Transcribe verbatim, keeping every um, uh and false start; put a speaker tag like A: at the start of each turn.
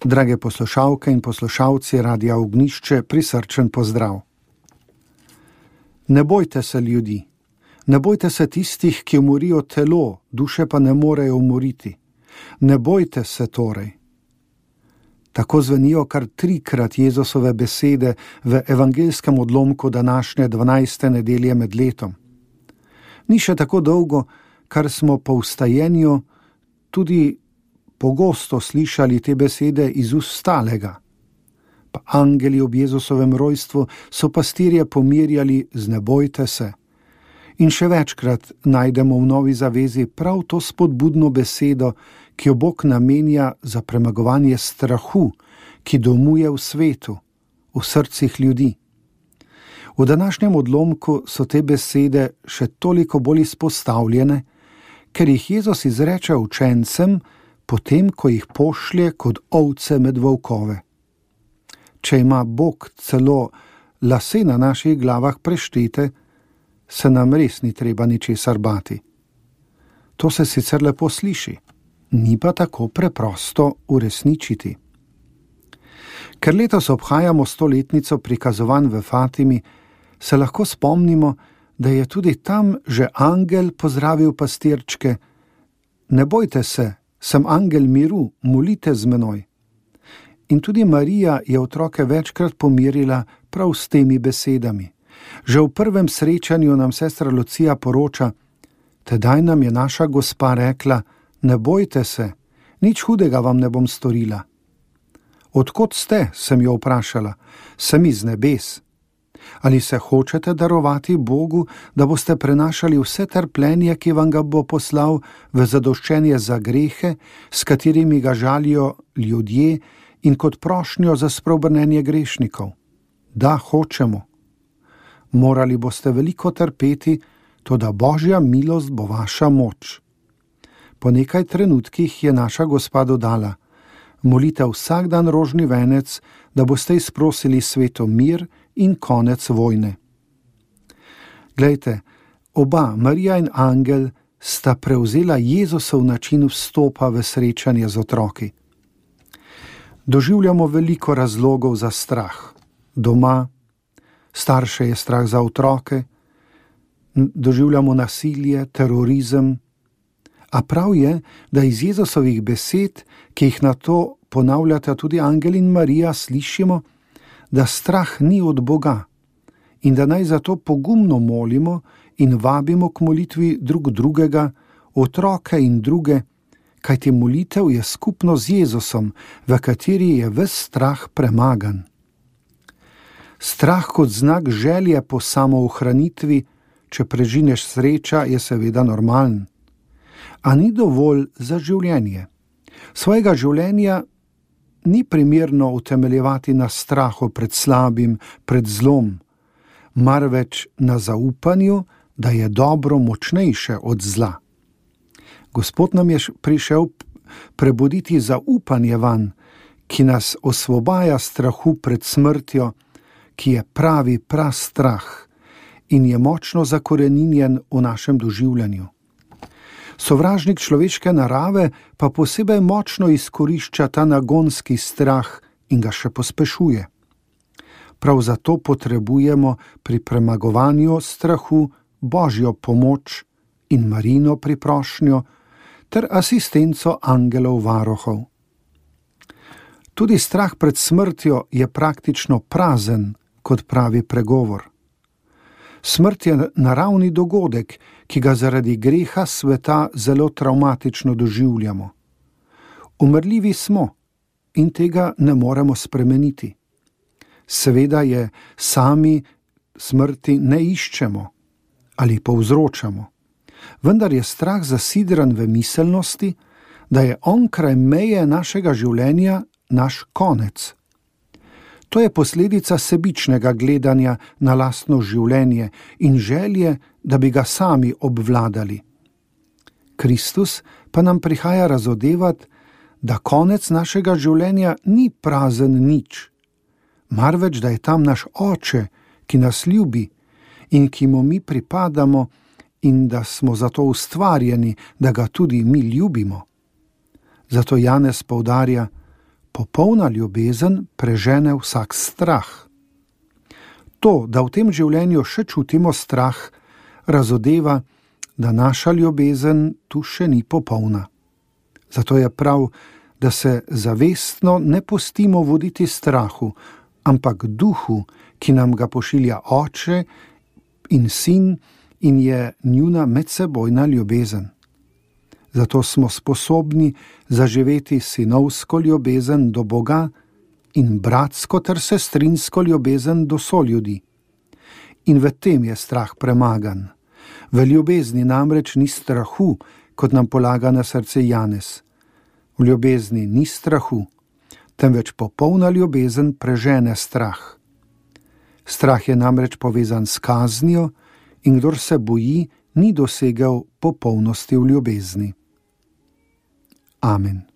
A: Drage poslušalke in poslušalci Radia Ognjišče, prisrčen pozdrav. Ne bojte se ljudi, ne bojte se tistih, ki umorijo telo, duše pa ne morejo umoriti. Ne bojte se torej. Tako zvenijo kar trikrat Jezusove besede v evangeljskem odlomku današnje dvanajste nedelje med letom. Ni še tako dolgo, kar smo po vstajenju tudi pogosto slišali te besede iz ust stalega. Pa angeli ob Jezusovem rojstvu so pastirje pomirjali z ne bojte se. In še večkrat najdemo v Novi zavezi prav to spodbudno besedo, ki jo Bog namenja za premagovanje strahu, ki domuje v svetu, v srcih ljudi. V današnjem odlomku so te besede še toliko bolj izpostavljene, ker jih Jezus izreče učencem, potem, ko jih pošlje kot ovce med volkove. Če ima Bog celo lase na naših glavah preštete, se nam res ni treba ničesar bati. To se sicer lepo sliši, ni pa tako preprosto uresničiti. Ker letos obhajamo stoletnico prikazovanj v Fatimi, se lahko spomnimo, da je tudi tam že angel pozdravil pastirčke: ne bojte se, sem angel miru, molite z menoj. In tudi Marija je otroke večkrat pomirila prav s temi besedami. Že v prvem srečanju nam sestra Lucija poroča: tedaj nam je naša gospa rekla, ne bojte se, nič hudega vam ne bom storila. Odkot ste, sem jo vprašala, sem iz nebes. Ali se hočete darovati Bogu, da boste prenašali vse trpljenje, ki vam ga bo poslal v zadoščenje za grehe, s katerimi ga žalijo ljudje, in kot prošnjo za spreobrnenje grešnikov? Da, hočemo. Morali boste veliko trpeti, toda Božja milost bo vaša moč. Po nekaj trenutkih je naša gospa dodala: molite vsak dan rožni venec, da boste izprosili svetu mir in konec vojne. Glejte, oba, Marija in angel, sta prevzela Jezusov način vstopa v srečanje z otroki. Doživljamo veliko razlogov za strah. Doma, starše je strah za otroke, doživljamo nasilje, terorizem. A prav je, da iz Jezusovih besed, ki jih na to ponavljata tudi angel in Marija, slišimo, da strah ni od Boga in da naj zato pogumno molimo in vabimo k molitvi drug drugega, otroke in druge, kajti molitev je skupno z Jezusom, v kateri je ves strah premagan. Strah kot znak želje po samoohranitvi, če prežineš sreča, je seveda normalen. A ni dovolj za življenje. Svojega življenja ni primerno utemeljevati na strahu pred slabim, pred zlom, marveč na zaupanju, da je dobro močnejše od zla. Gospod nam je prišel prebuditi zaupanje vanj, ki nas osvobaja strahu pred smrtjo, ki je pravi prastrah in je močno zakoreninjen v našem doživljanju. Sovražnik človeške narave pa posebej močno izkorišča ta nagonski strah in ga še pospešuje. Prav zato potrebujemo pri premagovanju strahu Božjo pomoč in Marijino priprošnjo ter asistenco angelov varuhov. Tudi strah pred smrtjo je praktično prazen, kot pravi pregovor. Smrt je naravni dogodek, ki ga zaradi greha sveta zelo travmatično doživljamo. Umrljivi smo in tega ne moremo spremeniti. Seveda je sami smrti ne iščemo ali povzročamo, vendar je strah zasidran v miselnosti, da je onkraj meje našega življenja naš konec. To je posledica sebičnega gledanja na lastno življenje in želje, da bi ga sami obvladali. Kristus pa nam prihaja razodevati, da konec našega življenja ni prazen nič, marveč da je tam naš Oče, ki nas ljubi in ki mu mi pripadamo in da smo zato ustvarjeni, da ga tudi mi ljubimo. Zato Janez poudarja: popolna ljubezen prežene vsak strah. To, da v tem življenju še čutimo strah, razodeva, da naša ljubezen tu še ni popolna. Zato je prav, da se zavestno ne pustimo voditi strahu, ampak duhu, ki nam ga pošilja Oče in Sin in je njuna medsebojna ljubezen. Zato smo sposobni zaživeti sinovsko ljubezen do Boga in bratsko ter sestrinsko ljubezen do soljudi. In v tem je strah premagan. V ljubezni namreč ni strahu, kot nam polaga na srce Janez. V ljubezni ni strahu, temveč popolna ljubezen prežene strah. Strah je namreč povezan s kaznijo in kdor se boji, ni dosegel popolnosti v ljubezni. Amen.